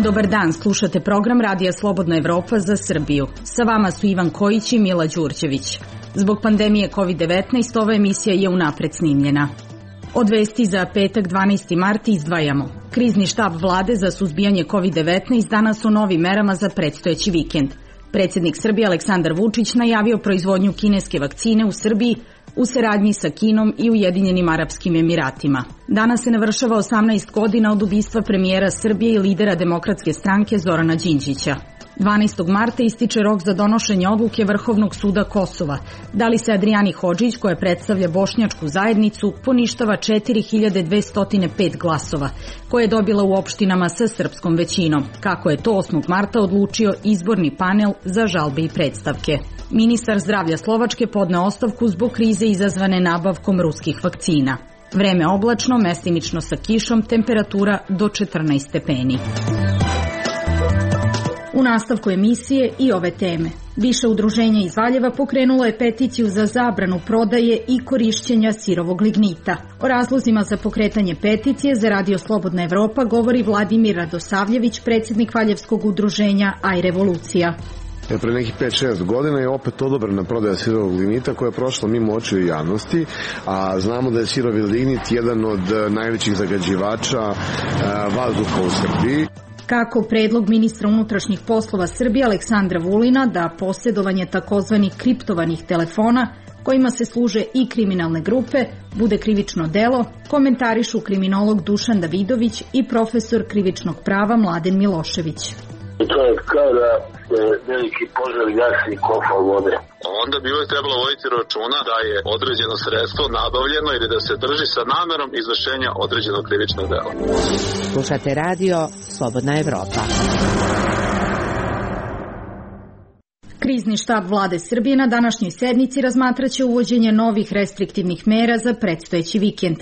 Dobar dan, slušate program Radija Slobodna Evropa za Srbiju. Sa vama su Ivan Kojić i Mila Đurđević. Zbog pandemije COVID-19 ova emisija je unapred snimljena. Od vesti za petak 12. mart izdvajamo. Krizni štab vlade za suzbijanje COVID-19 danas o novim merama za predstojeći vikend. Predsjednik Srbije Aleksandar Vučić najavio proizvodnju kineske vakcine u Srbiji u saradnji sa Kinom i Ujedinjenim Arapskim Emiratima. Danas se navršava 18 godina od ubistva premijera Srbije i lidera Demokratske stranke Zorana Đinđića. 12. marta ističe rok za donošenje odluke Vrhovnog suda Kosova. Da li se Adrijani Hodžić, koja predstavlja bošnjačku zajednicu, poništava 4205 glasova, koje je dobila u opštinama sa srpskom većinom, kako je to 8. marta odlučio izborni panel za žalbe i predstavke. Ministar zdravlja Slovačke podneo ostavku zbog krize izazvane nabavkom ruskih vakcina. Vreme oblačno, mestimično sa kišom, temperatura do 14 stepeni. U nastavku emisije i ove teme. Više udruženja iz Valjeva pokrenulo je peticiju za zabranu prodaje i korišćenja sirovog lignita. O razlozima za pokretanje peticije za Radio Slobodna Evropa govori Vladimir Radosavljević, predsjednik Valjevskog udruženja Aj Revolucija. Pre nekih 5-6 godina je opet odobrena prodaja sirovog lignita koja je prošla mimo očiju javnosti, a znamo da je sirovi lignit jedan od najvećih zagađivača vazduha u Srbiji. Kako predlog ministra unutrašnjih poslova Srbije Aleksandra Vulina da posjedovanje takozvanih kriptovanih telefona, kojima se služe i kriminalne grupe, bude krivično delo, komentarišu kriminolog Dušan Davidović i profesor krivičnog prava Mladen Milošević. To je kao da se veliki požar gasi kofa vode. Onda bi uvijek trebalo voditi računa da je određeno sredstvo nabavljeno ili da se drži sa namerom izvršenja određenog krivičnog dela. Slušate radio Slobodna Evropa. Krizni štab vlade Srbije na današnjoj sednici razmatraće uvođenje novih restriktivnih mera za predstojeći vikend.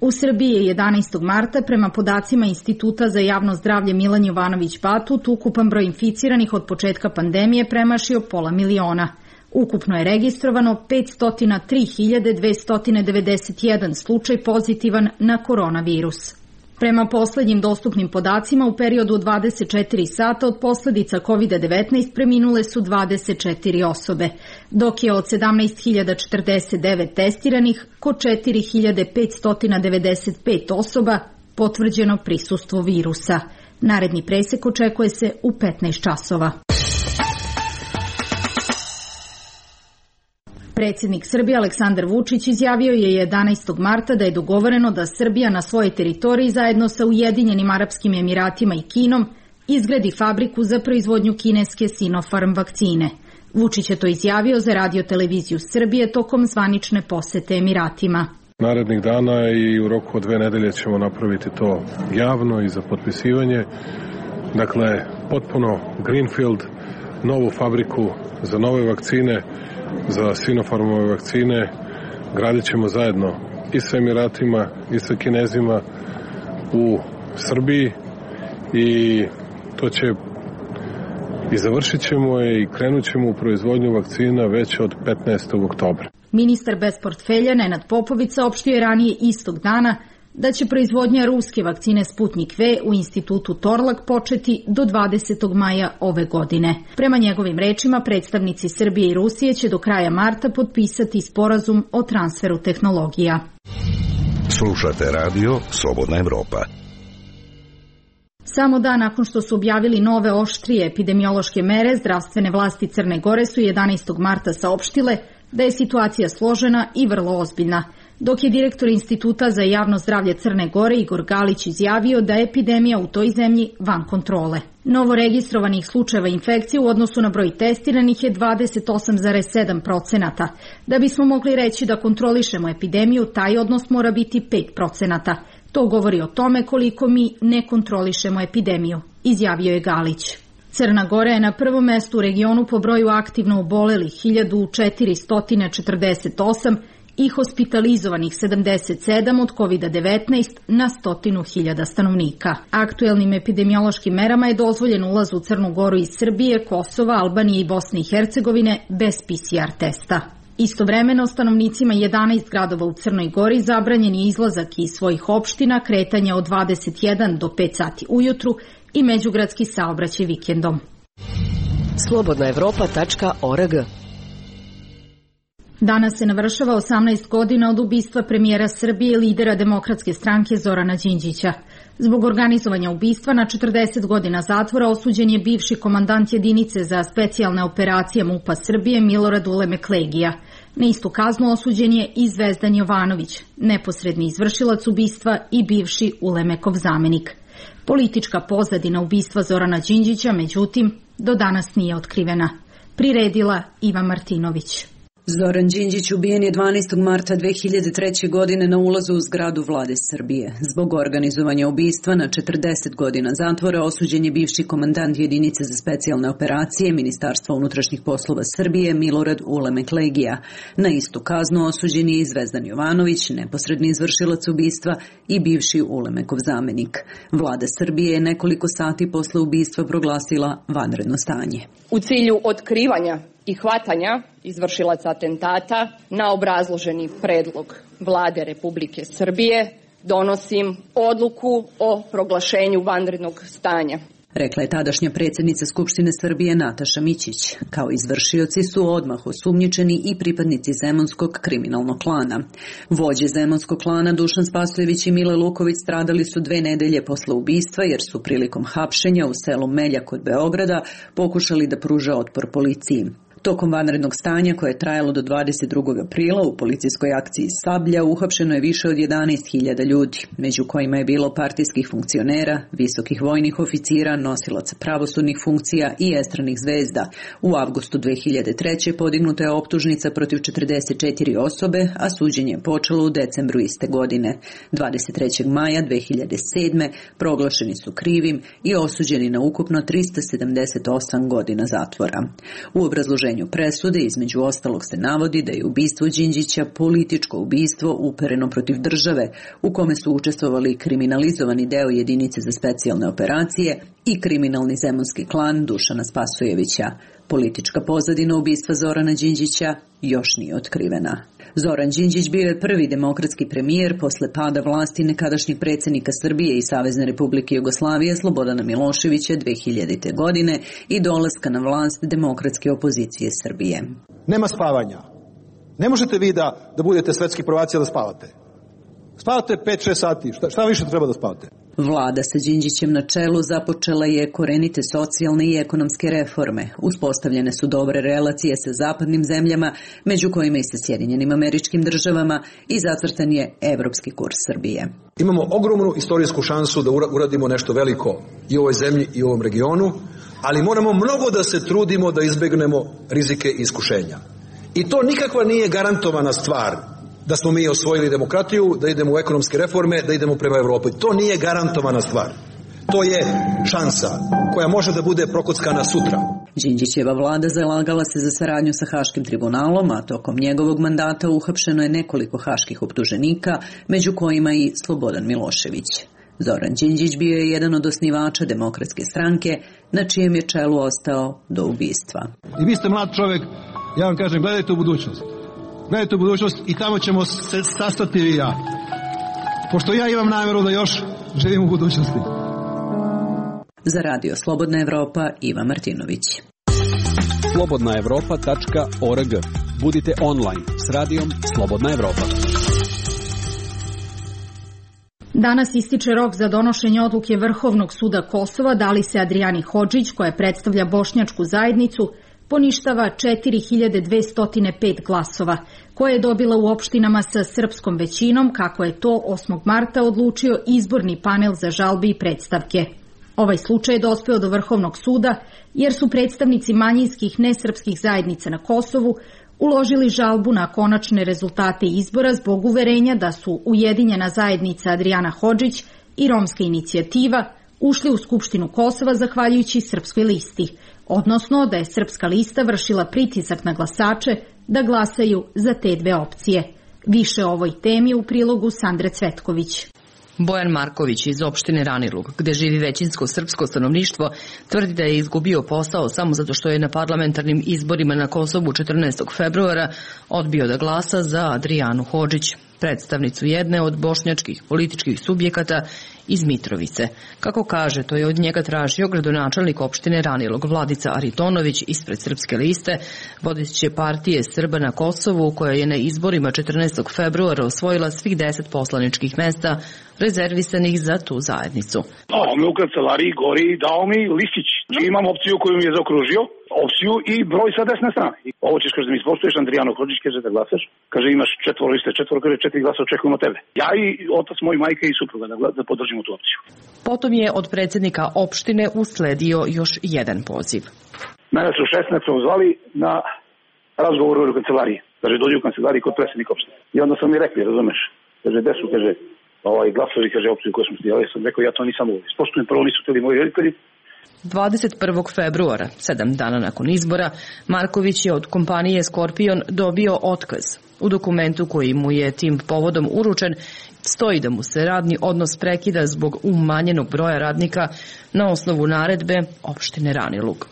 U Srbiji je 11. marta prema podacima Instituta za javno zdravlje Milan Jovanović Batut ukupan broj inficiranih od početka pandemije premašio 500.000. Ukupno je registrovano 503.291 slučaj pozitivan na koronavirus. Prema poslednjim dostupnim podacima, u periodu od 24 sata od posljedica COVID-19 preminule su 24 osobe, dok je od 17.049 testiranih kod 4.595 osoba potvrđeno prisustvo virusa. Naredni presek očekuje se u 15 časova. Predsjednik Srbije Aleksandar Vučić izjavio je 11. marta da je dogovoreno da Srbija na svojoj teritoriji zajedno sa Ujedinjenim Arapskim Emiratima i Kinom izgradi fabriku za proizvodnju kineske Sinopharm vakcine. Vučić je to izjavio za Radio televiziju Srbije tokom zvanične posete Emiratima. Narednih dana i u roku od 2 nedelje ćemo napraviti to javno i za potpisivanje. Dakle, potpuno greenfield, novu fabriku za nove vakcine, za Sinopharmove vakcine, gradit ćemo zajedno i sa Emiratima i sa Kinezima u Srbiji i to će i završit ćemo i krenut ćemo u proizvodnju vakcina već od 15. oktobra. Ministar bez portfelja Nenad Popović saopštio je ranije istog dana da će proizvodnja ruske vakcine Sputnik V u institutu Torlak početi do 20. maja ove godine. Prema njegovim rečima, predstavnici Srbije i Rusije će do kraja marta potpisati sporazum o transferu tehnologija. Slušate radio Slobodna Evropa. Samo dan nakon što su objavili nove oštrije epidemiološke mere, zdravstvene vlasti Crne Gore su 11. marta saopštile da je situacija složena i vrlo ozbiljna, dok je direktor Instituta za javno zdravlje Crne Gore Igor Galić izjavio da je epidemija u toj zemlji van kontrole. Novo registrovanih slučajeva infekcije u odnosu na broj testiranih je 28,7%. Da bismo mogli reći da kontrolišemo epidemiju, taj odnos mora biti 5%. To govori o tome koliko mi ne kontrolišemo epidemiju, izjavio je Galić. Crna Gora je na prvom mestu u regionu po broju aktivno obolelih 1448 i hospitalizovanih 77 od COVID-19 na 100.000 stanovnika. Aktuelnim epidemiološkim merama je dozvoljen ulaz u Crnu Goru iz Srbije, Kosova, Albanije i Bosne i Hercegovine bez PCR testa. Istovremeno, stanovnicima 11 gradova u Crnoj Gori zabranjen je izlazak iz svojih opština, kretanje od 21 do 5 sati ujutru i međugradski saobraćaj vikendom. slobodnaevropa.org. Danas se navršava 18 godina od ubistva premijera Srbije i lidera Demokratske stranke Zorana Đinđića. Zbog organizovanja ubistva na 40 godina zatvora osuđen je bivši komandant jedinice za specijalne operacije MUP-a Srbije Milorad Ulemek Legija. Na istu kaznu osuđen je i Zvezdan Jovanović, neposredni izvršilac ubistva i bivši Ulemekov zamenik. Politička pozadina ubistva Zorana Đinđića, međutim, do danas nije otkrivena. Priredila Iva Martinović. Zoran Đinđić ubijen je 12. marta 2003. godine na ulazu u zgradu Vlade Srbije. Zbog organizovanja ubistva na 40 godina zatvora osuđen je bivši komandant jedinice za specijalne operacije Ministarstva unutrašnjih poslova Srbije Milorad Ulemek Legija. Na istu kaznu osuđen je i Zvezdan Jovanović, neposredni izvršilac ubistva i bivši Ulemekov zamenik. Vlada Srbije je nekoliko sati posle ubistva proglasila vanredno stanje. U cilju otkrivanja i hvatanja izvršilaca atentata na obrazloženi predlog Vlade Republike Srbije donosim odluku o proglašenju vanrednog stanja. Rekla je tadašnja predsjednica Skupštine Srbije Nataša Mićić. Kao izvršioci su odmah osumnjičeni i pripadnici zemunskog kriminalnog klana. Vođe zemunskog klana Dušan Spasojević i Mile Luković stradali su 2 nedelje posle ubistva jer su prilikom hapšenja u selu Meljak kod Beograda pokušali da pruže otpor policiji. Tokom vanrednog stanja koje je trajalo do 22. aprila u policijskoj akciji Sablja uhapšeno je više od 11.000 ljudi, među kojima je bilo partijskih funkcionera, visokih vojnih oficira, nosilaca pravosudnih funkcija i estranih zvezda. U avgustu 2003. podignuta je optužnica protiv 44 osobe, a suđenje je počelo u decembru iste godine. 23. maja 2007. proglašeni su krivim i osuđeni na ukupno 378 godina zatvora. U obrazloženju presude između ostalog se navodi da je ubistvo Đinđića političko ubistvo upereno protiv države u kome su učestvovali kriminalizovani deo jedinice za specijalne operacije i kriminalni zemunski klan Dušana Spasojevića. Politička pozadina ubistva Zorana Đinđića još nije otkrivena. Zoran Đinđić bio je prvi demokratski premijer posle pada vlasti nekadašnjeg predsjednika Srbije i Savezne Republike Jugoslavije Slobodana Miloševića 2000. godine i dolaska na vlast demokratske opozicije Srbije. Nema spavanja. Ne možete vi da budete svetski prvaci da spavate. Spavate 5-6 sati. Šta više treba da spavate? Vlada sa Đinđićem na čelu započela je korenite socijalne i ekonomske reforme. Uspostavljene su dobre relacije sa zapadnim zemljama, među kojima i sa Sjedinjenim Američkim Državama, i zacrtan je evropski kurs Srbije. Imamo ogromnu istorijsku šansu da uradimo nešto veliko i u ovoj zemlji i u ovom regionu, ali moramo mnogo da se trudimo da izbegnemo rizike i iskušenja. I to nikakva nije garantovana stvar da smo mi osvojili demokratiju, da idemo u ekonomske reforme, da idemo prema Evropi. To nije garantovana stvar. To je šansa koja može da bude prokockana sutra. Đinđićeva vlada zalagala se za saradnju sa Haškim tribunalom, a tokom njegovog mandata uhapšeno je nekoliko haških optuženika, među kojima i Slobodan Milošević. Zoran Đinđić bio je jedan od osnivača Demokratske stranke, na čijem je čelu ostao do ubistva. I vi ste mlad čovjek, ja vam kažem, gledajte u budućnost. Gledajte u budućnost i tamo ćemo se sastati i ja. Pošto ja imam namjeru da još živim u budućnosti. Za Radio Slobodna Evropa, Iva Martinović. slobodnaevropa.org. Budite online s radijom Slobodna Evropa. Danas ističe rok za donošenje odluke Vrhovnog suda Kosova da li se Adrijani Hodžić, koja predstavlja bošnjačku zajednicu, poništava 4205 glasova, koje je dobila u opštinama sa srpskom većinom, kako je to 8. marta odlučio izborni panel za žalbe i predstavke. Ovaj slučaj je dospeo do Vrhovnog suda jer su predstavnici manjinskih nesrpskih zajednica na Kosovu uložili žalbu na konačne rezultate izbora zbog uverenja da su Ujedinjena zajednica Adrijana Hodžić i Romska inicijativa ušli u Skupštinu Kosova zahvaljujući Srpskoj listi, odnosno da je Srpska lista vršila pritisak na glasače da glasaju za te dve opcije. Više o ovoj temi u prilogu Sandre Cvetković. Bojan Marković iz opštine Ranilug, gde živi većinsko srpsko stanovništvo, tvrdi da je izgubio posao samo zato što je na parlamentarnim izborima na Kosovu 14. februara odbio da glasa za Adrijanu Hodžić, predstavnicu jedne od bošnjačkih političkih subjekata iz Mitrovice. Kako kaže, to je od njega tražio gradonačelnik opštine Ranilug Vladica Aritonović ispred Srpske liste, vodeće partije Srba na Kosovu, koja je na izborima 14. februara osvojila svih 10 poslaničkih mesta rezervisanih za tu zajednicu. On me u kancelariji gori i dao mi listić. Imam opciju koju mi je zaokružio, opciju i broj sa desne strane. Ovo ćeš, kaže, da mi ispoštuješ, Andrijano Hodžić, kaže da glasaš. Kaže, imaš 4 liste, 4 glasa očekujemo tebe. Ja i otac, moj majka i supruga da podržimo tu opciju. Potom je od predsjednika opštine usledio još jedan poziv. Mene su 16 zvali na razgovor u kancelariji. Kaže, dođi u kancelariji kod predsjednika opštine. I onda sam mi rekli, razumeš, kaže, gde su, kaže, glasovi, kaže, opciju koju smo stijali. Ja sam rekao, ja to nisam uvijek. Ispoštujem, prvo nisu teli moji roditelji. 21. februara, 7 dana nakon izbora, Marković je od kompanije Skorpion dobio otkaz. U dokumentu koji mu je tim povodom uručen stoji da mu se radni odnos prekida zbog umanjenog broja radnika na osnovu naredbe opštine Ranilug.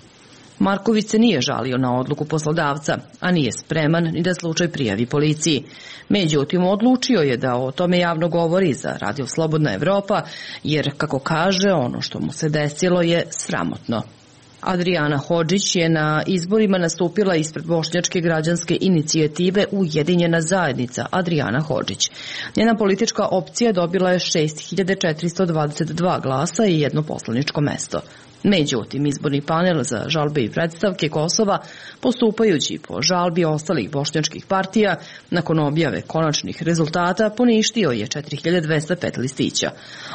Marković se nije žalio na odluku poslodavca, a nije spreman ni da slučaj prijavi policiji. Međutim, odlučio je da o tome javno govori za Radio Slobodna Evropa, jer, kako kaže, ono što mu se desilo je sramotno. Adrijana Hodžić je na izborima nastupila ispred bošnjačke građanske inicijative Ujedinjena zajednica Adrijana Hodžić. Njena politička opcija dobila je 6422 glasa i jedno poslaničko mesto. Međutim, izborni panel za žalbe i predstavke Kosova, postupajući po žalbi ostalih bošnjačkih partija, nakon objave konačnih rezultata poništio je 4205 listića.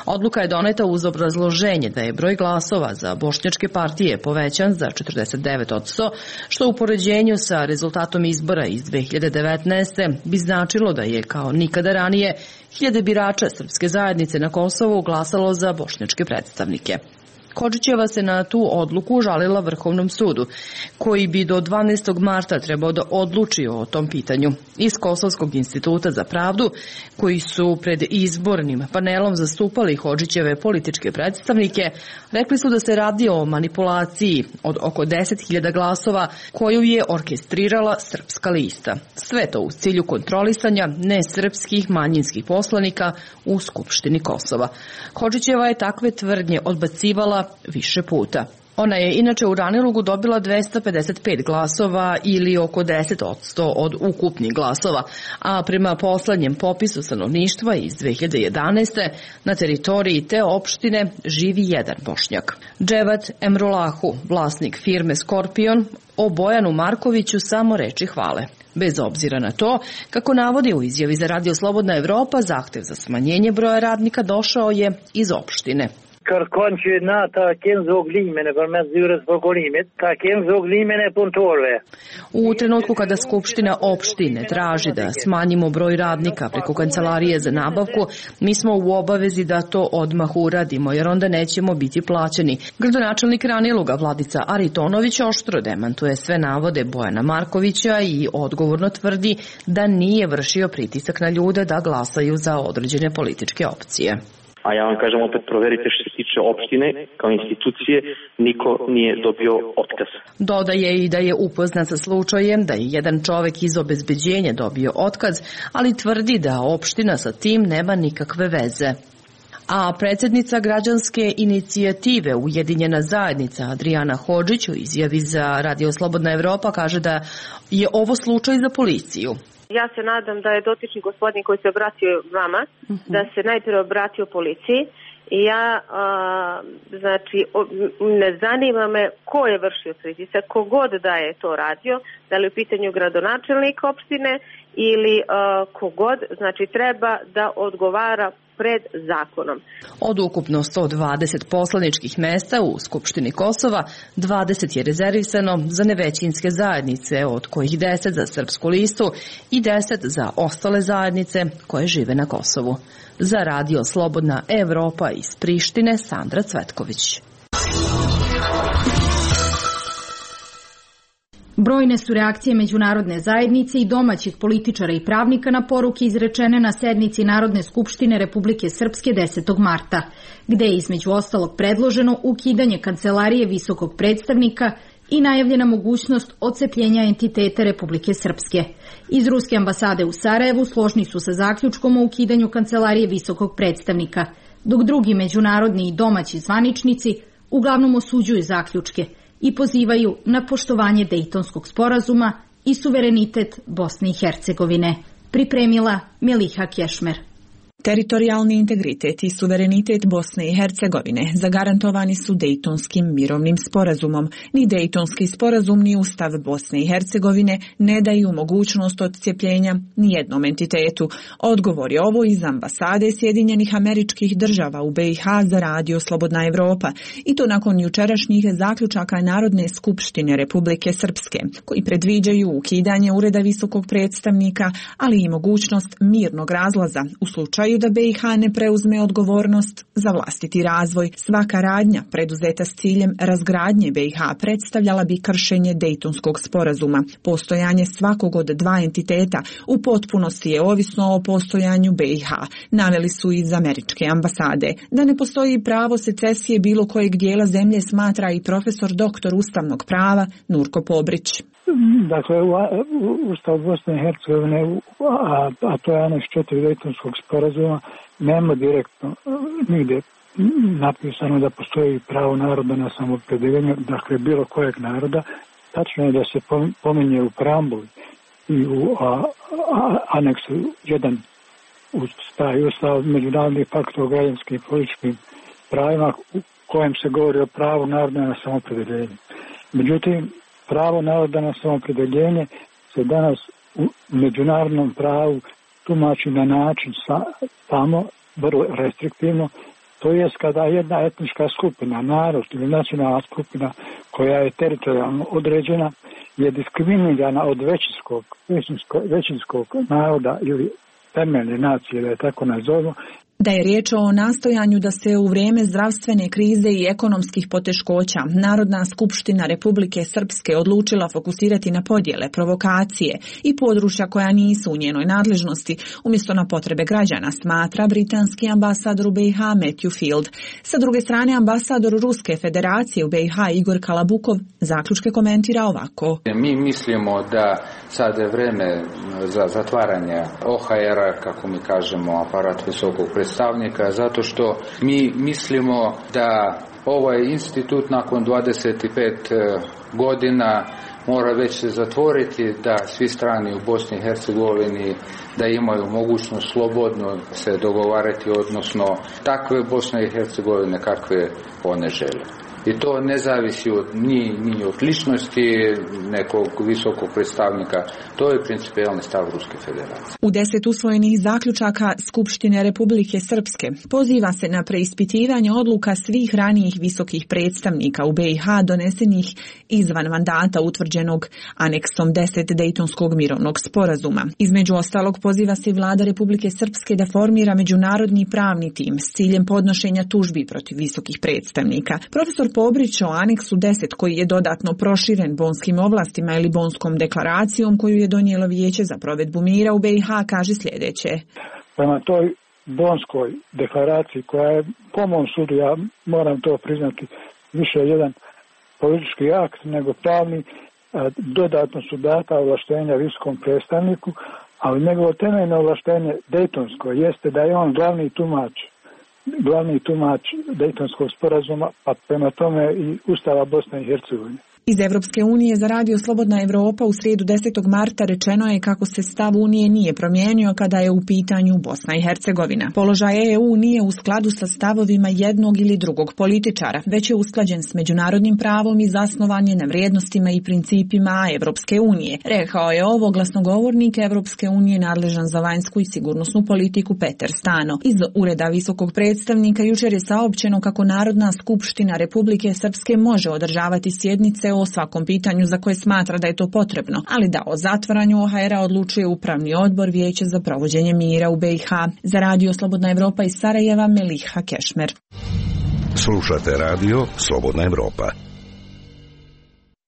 Odluka je doneta uz obrazloženje da je broj glasova za bošnjačke partije povećan za 49%, što u poređenju sa rezultatom izbora iz 2019. bi značilo da je kao nikada ranije hiljade birača srpske zajednice na Kosovu glasalo za bošnjačke predstavnike. Hodžićeva se na tu odluku žalila Vrhovnom sudu, koji bi do 12. marta trebao da odluči o tom pitanju. Iz Kosovskog instituta za pravdu, koji su pred izbornim panelom zastupali Hodžićeve političke predstavnike, rekli su da se radi o manipulaciji od oko 10.000 glasova koju je orkestrirala Srpska lista. Sve to u cilju kontrolisanja nesrpskih manjinskih poslanika u Skupštini Kosova. Hodžićeva je takve tvrdnje odbacivala više puta. Ona je inače u Ranilugu dobila 255 glasova ili oko 10% od ukupnih glasova, a prema poslednjem popisu stanovništva iz 2011. na teritoriji te opštine živi jedan Bošnjak. Dževat Emrulahu, vlasnik firme Skorpion, o Bojanu Markoviću samo reči hvale. Bez obzira na to, kako navodi u izjavi za Radio Slobodna Evropa, zahtev za smanjenje broja radnika došao je iz opštine. Kërkon që na ta kemë zoglimene përmes zyrës prokurimit, ta kemë zoglimene punëtorëve. U trenutku kada Skupština opštine traži da smanjimo broj radnika preko kancelarije za nabavku, mi smo u obavezi da to odmah uradimo, jer onda nećemo biti plaćeni. Gradonačelnik Raniluga Vladica Aritonović oštro demantuje sve navode Bojana Markovića i odgovorno tvrdi da nije vršio pritisak na ljude da glasaju za određene političke opcije. A ja vam kažem opet, proverite što se tiče opštine, kao institucije, niko nije dobio otkaz. Dodaje i da je upoznat sa slučajem da je jedan čovek iz obezbeđenja dobio otkaz, ali tvrdi da opština sa tim nema nikakve veze. A predsjednica građanske inicijative Ujedinjena zajednica Adrijana Hodžić u izjavi za Radio Slobodna Evropa kaže da je ovo slučaj za policiju. Ja se nadam da je dotični gospodin koji se obratio vama, da se najprije obratio policiji. I ja, ne zanima me ko je vršio pritisak, kogod da je to radio, da li u pitanju gradonačelnik opštine ili kogod, znači treba da odgovara pred zakonom. Od ukupno 120 poslaničkih mesta u Skupštini Kosova, 20 je rezervisano za nevećinske zajednice, od kojih 10 za Srpsku listu i 10 za ostale zajednice koje žive na Kosovu. Za Radio Slobodna Evropa iz Prištine, Sandra Cvetković. Brojne su reakcije međunarodne zajednice i domaćih političara i pravnika na poruke izrečene na sednici Narodne skupštine Republike Srpske 10. marta, gde je između ostalog predloženo ukidanje kancelarije visokog predstavnika i najavljena mogućnost odcepljenja entiteta Republike Srpske. Iz Ruske ambasade u Sarajevu složni su sa zaključkom o ukidanju kancelarije visokog predstavnika, dok drugi međunarodni i domaći zvaničnici uglavnom osuđuju zaključke i pozivaju na poštovanje Dejtonskog sporazuma i suverenitet Bosne i Hercegovine. Pripremila Miliha Kešmer. Teritorijalni integritet i suverenitet Bosne i Hercegovine zagarantovani su Dejtonskim mirovnim sporazumom. Ni Dejtonski sporazum ni Ustav Bosne i Hercegovine ne daju mogućnost odcepljenja ni jednom entitetu. Odgovor je ovo iz ambasade Sjedinjenih Američkih Država u BiH za Radio Slobodna Evropa, i to nakon jučerašnjih zaključaka Narodne skupštine Republike Srpske, koji predviđaju ukidanje ureda visokog predstavnika, ali i mogućnost mirnog razlaza u slučaju da BiH ne preuzme odgovornost za vlastiti razvoj. Svaka radnja preduzeta s ciljem razgradnje BiH predstavljala bi kršenje Dejtonskog sporazuma. Postojanje svakog od dva entiteta u potpunosti je ovisno o postojanju BiH, naveli su iz američke ambasade. Da ne postoji pravo secesije bilo kojeg dijela zemlje smatra i profesor doktor ustavnog prava Nurko Pobrić. Dakle, Ustav Bosne i Hercegovine, a to je aneks 4 Dejtonskog sporazuma, nema direktno nigdje napisano da postoji pravo naroda na samoopredjeljenje, dakle bilo kojeg naroda. Tačno je da se pominje u preambuli i u aneksu 1 uz taj Ustav međunarodni pakt o građanskim i političkim pravima u kojem se govori o pravu naroda na samoopredjeljenje. Međutim, pravo naroda na samoopredjeljenje se danas u međunarodnom pravu tumači na način tamo vrlo restriktivno, to jest kada jedna etnička skupina, narod ili nacionalna skupina koja je teritorijalno određena je diskriminirana od većinskog naroda ili temeljne nacije, da je tako nazovemo. Da je riječ o nastojanju da se u vrijeme zdravstvene krize i ekonomskih poteškoća Narodna skupština Republike Srpske odlučila fokusirati na podjele, provokacije i područja koja nisu u njenoj nadležnosti umjesto na potrebe građana, smatra britanski ambasador u BiH Matthew Field. Sa druge strane, ambasador Ruske federacije u BiH Igor Kalabukov zaključke komentira ovako. Mi mislimo da sad je vrijeme za zatvaranje OHR-a, kako mi kažemo, aparat visokog predstavnika, zato što mi mislimo da ovaj institut nakon 25 godina mora već se zatvoriti, da svi strani u Bosni i Hercegovini da imaju mogućnost slobodno se dogovarati, odnosno takve Bosne i Hercegovine kakve one žele. I to ne zavisi ni od ličnosti nekog visokog predstavnika, to je principijalni stav Ruske federacije. U 10 usvojenih zaključaka Skupštine Republike Srpske poziva se na preispitivanje odluka svih ranijih visokih predstavnika u BiH donesenih izvan mandata utvrđenog aneksom 10 Dejtonskog mirovnog sporazuma. Između ostalog poziva se Vlada Republike Srpske da formira međunarodni pravni tim s ciljem podnošenja tužbi protiv visokih predstavnika. Profesor Pobrić o aneksu 10 koji je dodatno proširen bonskim ovlastima ili bonskom deklaracijom koju je donijelo Vijeće za provedbu mira u BiH kaže sljedeće. Prema toj bonskoj deklaraciji koja je po mom sudu, ja moram to priznati, više jedan politički akt nego pravni, dodatno su data ovlaštenja visokom predstavniku, ali njegovo temeljno ovlaštenje dejtonsko jeste da je on glavni tumač Dejtonskog sporazuma, pa prema tome i Ustava Bosne i Hercegovine. Iz Evropske unije za Radio Slobodna Evropa u srijedu 10. marta rečeno je kako se stav Unije nije promijenio kada je u pitanju Bosna i Hercegovina. Položaj EU nije u skladu sa stavovima jednog ili drugog političara, već je usklađen s međunarodnim pravom i zasnovan je na vrijednostima i principima Evropske unije. Rekao je ovo glasnogovornik Evropske unije nadležan za vanjsku i sigurnosnu politiku Peter Stano. Iz Ureda visokog predstavnika jučer je saopćeno kako Narodna skupština Republike Srpske može održavati sjednice o svakom pitanju za koje smatra da je to potrebno, ali da o zatvaranju OHR-a odlučuje Upravni odbor Vijeća za provođenje mira u BiH. Za Radio Slobodna Evropa iz Sarajeva, Miliha Kešmer. Slušate Radio Slobodna Evropa.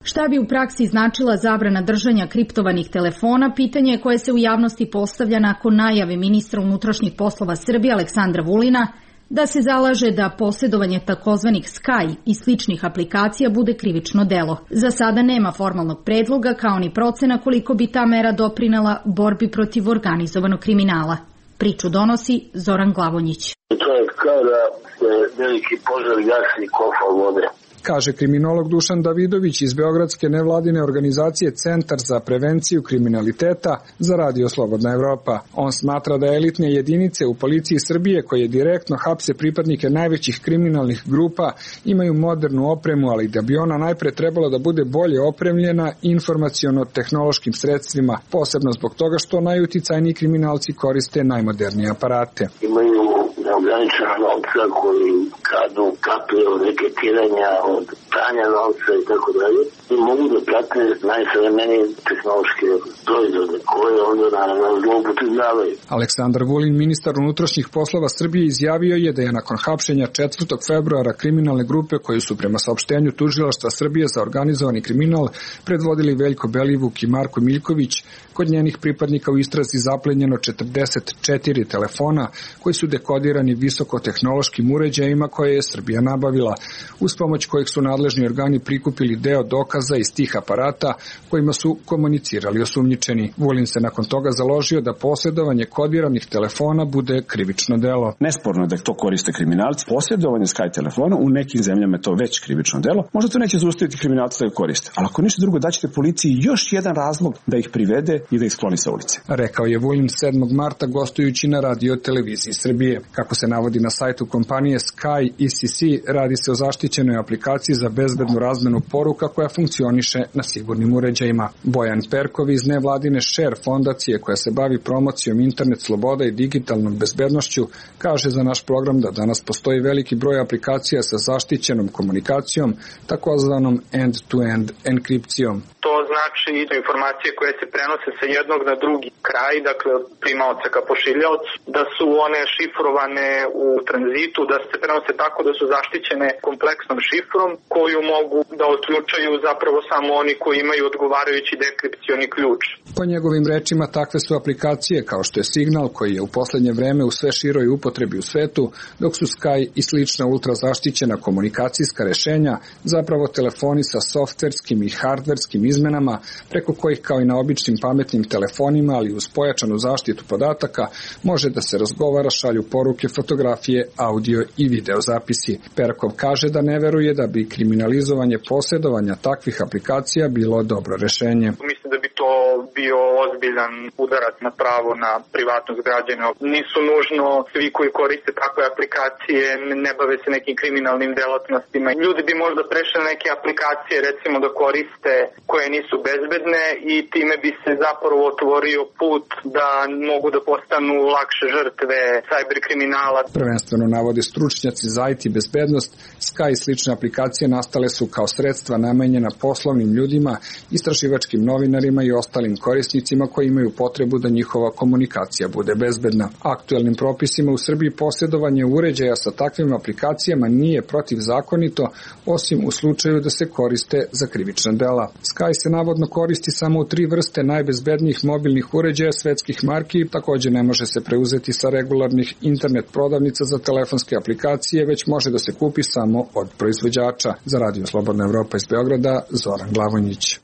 Šta bi u praksi značila zabrana držanja kriptovanih telefona, pitanje koje se u javnosti postavlja nakon najave ministra unutrašnjih poslova Srbije Aleksandra Vulina da se zalaže da posjedovanje takozvanih Sky i sličnih aplikacija bude krivično delo. Za sada nema formalnog predloga kao ni procena koliko bi ta mera doprinela borbi protiv organizovanog kriminala. Priču donosi Zoran Glavonjić. To je kao da se veliki požar gasi kofa vode. Kaže kriminolog Dušan Davidović iz beogradske nevladine organizacije Centar za prevenciju kriminaliteta za Radio Slobodna Evropa. On smatra da elitne jedinice u policiji Srbije koje direktno hapse pripadnike najvećih kriminalnih grupa imaju modernu opremu, ali da bi ona najpre trebala da bude bolje opremljena informaciono-tehnološkim sredstvima, posebno zbog toga što najuticajniji kriminalci koriste najmodernije aparate. Imaju neograničena novca koji kradu kaplje od reketiranja, od pranja novca i tako dalje. I mogu da prate najsavremenije tehnološke proizvode koje onda naravno zloupotrebljavaju. Aleksandar Vulin, ministar unutrašnjih poslova Srbije, izjavio je da je nakon hapšenja 4. februara kriminalne grupe koje su prema saopštenju Tužilaštva Srbije za organizovani kriminal predvodili Veljko Belivuk i Marko Miljković, kod njenih pripadnika u istrazi zaplenjeno 44 telefona koji su dekodirani visokotehnološkim uređajima koje je Srbija nabavila, uz pomoć kojeg su nadležni organi prikupili deo dokaza iz tih aparata kojima su komunicirali osumnjičeni. Vulin se nakon toga založio da posjedovanje kodiranih telefona bude krivično delo. Nesporno da to koriste kriminalci. Posjedovanje Sky telefona u nekim zemljama je to već krivično delo. Možda to neće zaustaviti kriminalci da ga koriste, ali ako ništa drugo daćete policiji još jedan razlog da ih privede i da ih skloni sa ulice. Rekao je Vulin 7. marta gostujući na Radio televiziji Srbije. Kako se navodi na sajtu kompanije Sky ECC, radi se o zaštićenoj aplikaciji za bezbednu razmenu poruka koja funkcioniše na sigurnim uređajima. Bojan Perkov iz nevladine Share fondacije koja se bavi promocijom internet sloboda i digitalnom bezbednošću kaže za naš program da danas postoji veliki broj aplikacija sa zaštićenom komunikacijom, takozvanom end-to-end enkripcijom. To znači da informacije koje se prenose sa jednog na drugi kraj, dakle od primaoca ka pošiljaocu, da su one šifrovane u tranzitu, da se prenose tako da su zaštićene kompleksnom šifrom koju mogu da otključaju zapravo samo oni koji imaju odgovarajući dekripcioni ključ. Po njegovim rečima takve su aplikacije kao što je Signal koji je u poslednje vreme u sve široj upotrebi u svetu, dok su Sky i slična ultrazaštićena komunikacijska rešenja zapravo telefoni sa softverskim i hardverskim izmenama preko kojih kao i na običnim pametnim telefonima, ali uz pojačanu zaštitu podataka, može da se razgovara, šalju poruke, fotografije, audio i video zapisi. Perkov kaže da ne veruje da bi kriminalizovanje posjedovanja takvih aplikacija bilo dobro rešenje. Mislim da bi to bio ozbiljan udarac na pravo na privatnost građana. Nisu nužno svi koji koriste takve aplikacije, ne bave se nekim kriminalnim delatnostima. Ljudi bi možda prešli neke aplikacije, recimo da koriste koje nisu bezbedne i time bi se zapravo otvorio put da mogu da postanu lakše žrtve cyber kriminala. Prvenstveno navode stručnjaci za IT bezbednost, Sky i slične aplikacije nastale su kao sredstva namenjena poslovnim ljudima, istraživačkim novinarima i ostalim korisnicima koji imaju potrebu da njihova komunikacija bude bezbedna. Aktuelnim propisima u Srbiji posjedovanje uređaja sa takvim aplikacijama nije protivzakonito, osim u slučaju da se koriste za krivična dela. Sky se navodno koristi samo u 3 vrste najbezbednijih mobilnih uređaja svetskih marki, također ne može se preuzeti sa regularnih internet prodavnica za telefonske aplikacije, već može da se kupi samo od proizvođača. Za Radio Slobodna Evropa iz Beograda, Zoran Glavonjić.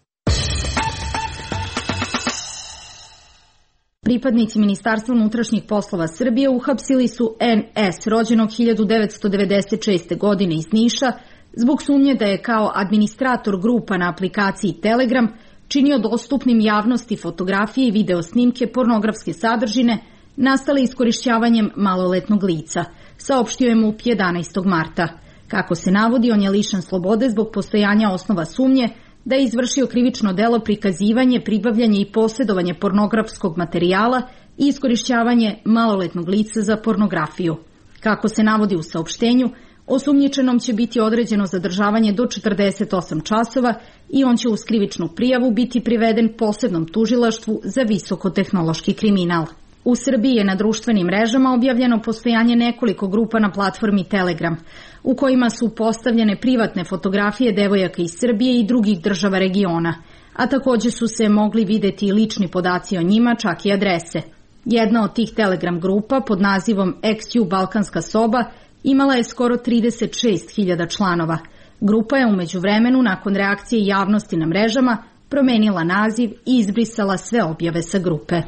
Pripadnici Ministarstva unutrašnjih poslova Srbije uhapsili su NS, rođenog 1996. godine iz Niša, zbog sumnje da je kao administrator grupa na aplikaciji Telegram činio dostupnim javnosti fotografije i video snimke pornografske sadržine nastale iskorišćavanjem maloletnog lica, saopštio je MUP 11. marta. Kako se navodi, on je lišen slobode zbog postojanja osnova sumnje da je izvršio krivično delo prikazivanje, pribavljanje i posjedovanje pornografskog materijala i iskorišćavanje maloletnog lica za pornografiju. Kako se navodi u saopštenju, osumnjičenom će biti određeno zadržavanje do 48 časova i on će uz krivičnu prijavu biti priveden posebnom tužilaštvu za visokotehnološki kriminal. U Srbiji je na društvenim mrežama objavljeno postojanje nekoliko grupa na platformi Telegram, u kojima su postavljene privatne fotografije devojaka iz Srbije i drugih država regiona, a takođe su se mogli videti i lični podaci o njima, čak i adrese. Jedna od tih Telegram grupa pod nazivom XU Balkanska soba imala je skoro 36.000 članova. Grupa je umeđu vremenu, nakon reakcije javnosti na mrežama, promenila naziv i izbrisala sve objave sa grupe.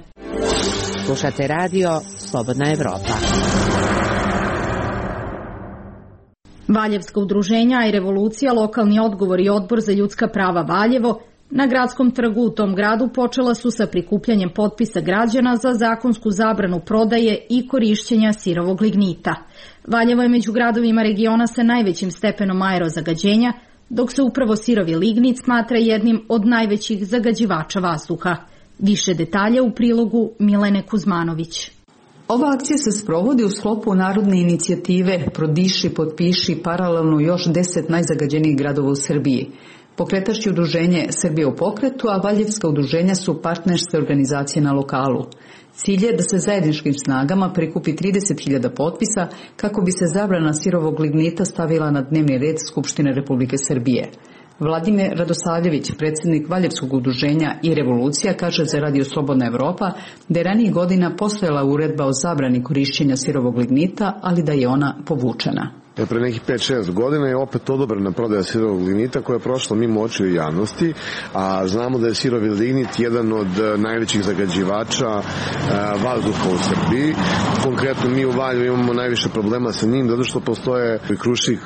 Slušate radio Slobodna Evropa. Valjevska udruženja i Revolucija, lokalni odgovor i odbor za ljudska prava Valjevo na gradskom trgu u tom gradu počela su sa prikupljanjem potpisa građana za zakonsku zabranu prodaje i korišćenja sirovog lignita. Valjevo je među gradovima regiona sa najvećim stepenom aerozagađenja, dok se upravo sirovi lignit smatra jednim od najvećih zagađivača vazduha. Više detalja u prilogu Milene Kuzmanović. Ova akcija se sprovodi u sklopu narodne inicijative Prodiši, potpiši paralelno još 10 najzagađenijih gradova u Srbiji. Pokretač je udruženje Srbije u pokretu, a valjevska udruženja su partnerske organizacije na lokalu. Cilj je da se zajedničkim snagama prikupi 30.000 potpisa kako bi se zabrana sirovog lignita stavila na dnevni red Skupštine Republike Srbije. Vladimir Radosavljević, predsjednik Valjevskog udruženja i Revolucija, kaže za Radio Slobodna Evropa da je ranijih godina postojala uredba o zabrani korišćenja sirovog lignita, ali da je ona povučena. Pre nekih 5-6 godina je opet odobrena prodaja sirovog lignita koja je prošla mimo očiju javnosti, a znamo da je sirovi lignit jedan od najvećih zagađivača vazduha u Srbiji. Konkretno mi u Valjevu imamo najviše problema sa njim zato što postoje Krušik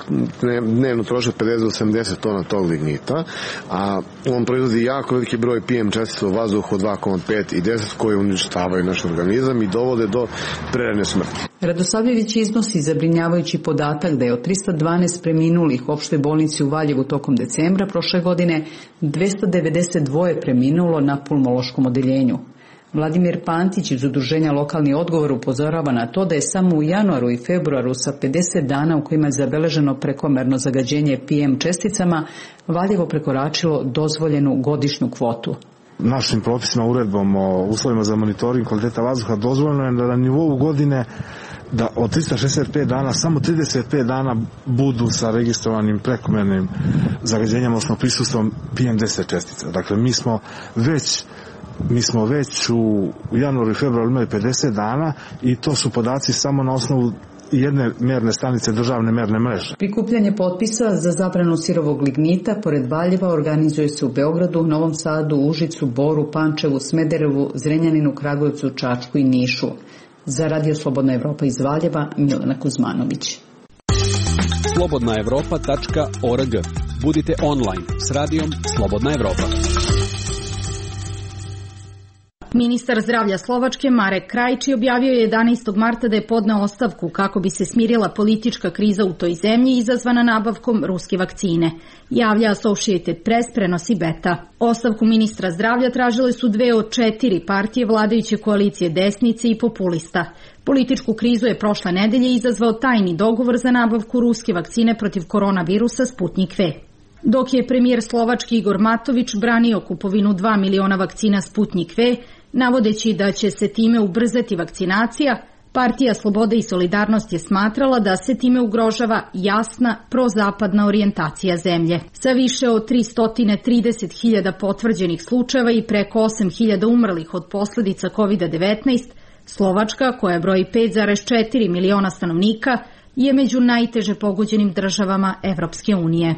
dnevno troše 50 do 80 tona tog lignita, a on proizvodi jako veliki broj PM čestica u vazduhu od 2,5 i 10 koje uništavaju naš organizam i dovode do prerane smrti. Radosavljević iznosi zabrinjavajući podatak da je od 312 preminulih u opštoj bolnici u Valjevu tokom decembra prošle godine 292 preminulo na pulmološkom odeljenju. Vladimir Pantić iz udruženja Lokalni odgovor upozorava na to da je samo u januaru i februaru sa 50 dana u kojima je zabeleženo prekomerno zagađenje PM česticama Valjevo prekoračilo dozvoljenu godišnju kvotu. Našim propisima, uredbom o uslovima za monitoring kvaliteta vazduha dozvoljeno je da na nivou godine da od 365 dana samo 35 dana budu sa registrovanim prekomernim zagađenjem, odnosno prisustvom PM10 čestica. Dakle, mi smo već u januaru i februaru imali 50 dana i to su podaci samo na osnovu jedne merne stanice državne merne mreže. Prikupljanje potpisa za zabranu sirovog lignita pored Valjeva organizuje se u Beogradu, Novom Sadu, Užicu, Boru, Pančevu, Smederevu, Zrenjaninu, Kragujevcu, Čačku i Nišu. Za Radio Slobodna Evropa iz Valjeva, Milena Kuzmanović. slobodnaevropa.org. Budite online s radijom Slobodna Evropa. Ministar zdravlja Slovačke Marek Krajči objavio je 11. marta da je podneo ostavku kako bi se smirila politička kriza u toj zemlji izazvana nabavkom ruske vakcine. Javlja Associated Press, prenosi Beta. Ostavku ministra zdravlja tražile su 2 od 4 partije vladajuće koalicije desnice i populista. Političku krizu je prošle nedelje izazvao tajni dogovor za nabavku ruske vakcine protiv koronavirusa Sputnik V. Dok je premijer Slovački Igor Matović branio kupovinu 2 miliona vakcina Sputnik V, navodeći da će se time ubrzati vakcinacija, Partija Slobode i Solidarnost je smatrala da se time ugrožava jasna prozapadna orijentacija zemlje. Sa više od 330.000 potvrđenih slučajeva i preko 8.000 umrlih od posljedica COVID-19, Slovačka, koja broji 5,4 miliona stanovnika, je među najteže pogođenim državama Evropske unije.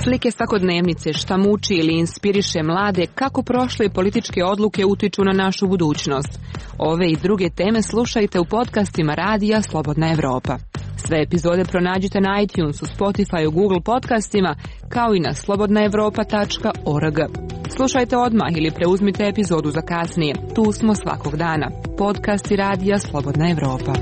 Slike svakodnevnice, šta muči ili inspiriše mlade, kako prošle političke odluke utiču na našu budućnost. Ove i druge teme slušajte u podcastima Radija Slobodna Evropa. Sve epizode pronađite na iTunesu, Spotifyu, Google podcastima, kao i na slobodnaevropa.org. Slušajte odmah ili preuzmite epizodu za kasnije. Tu smo svakog dana. Podcasti Radija Slobodna Evropa.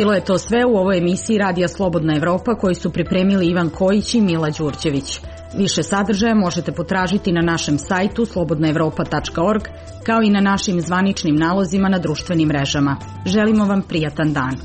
Bilo je to sve u ovoj emisiji Radija Slobodna Evropa koju su pripremili Ivan Kojić i Mila Đurđević. Više sadržaja možete potražiti na našem sajtu slobodnaevropa.org, kao i na našim zvaničnim nalozima na društvenim mrežama. Želimo vam prijatan dan.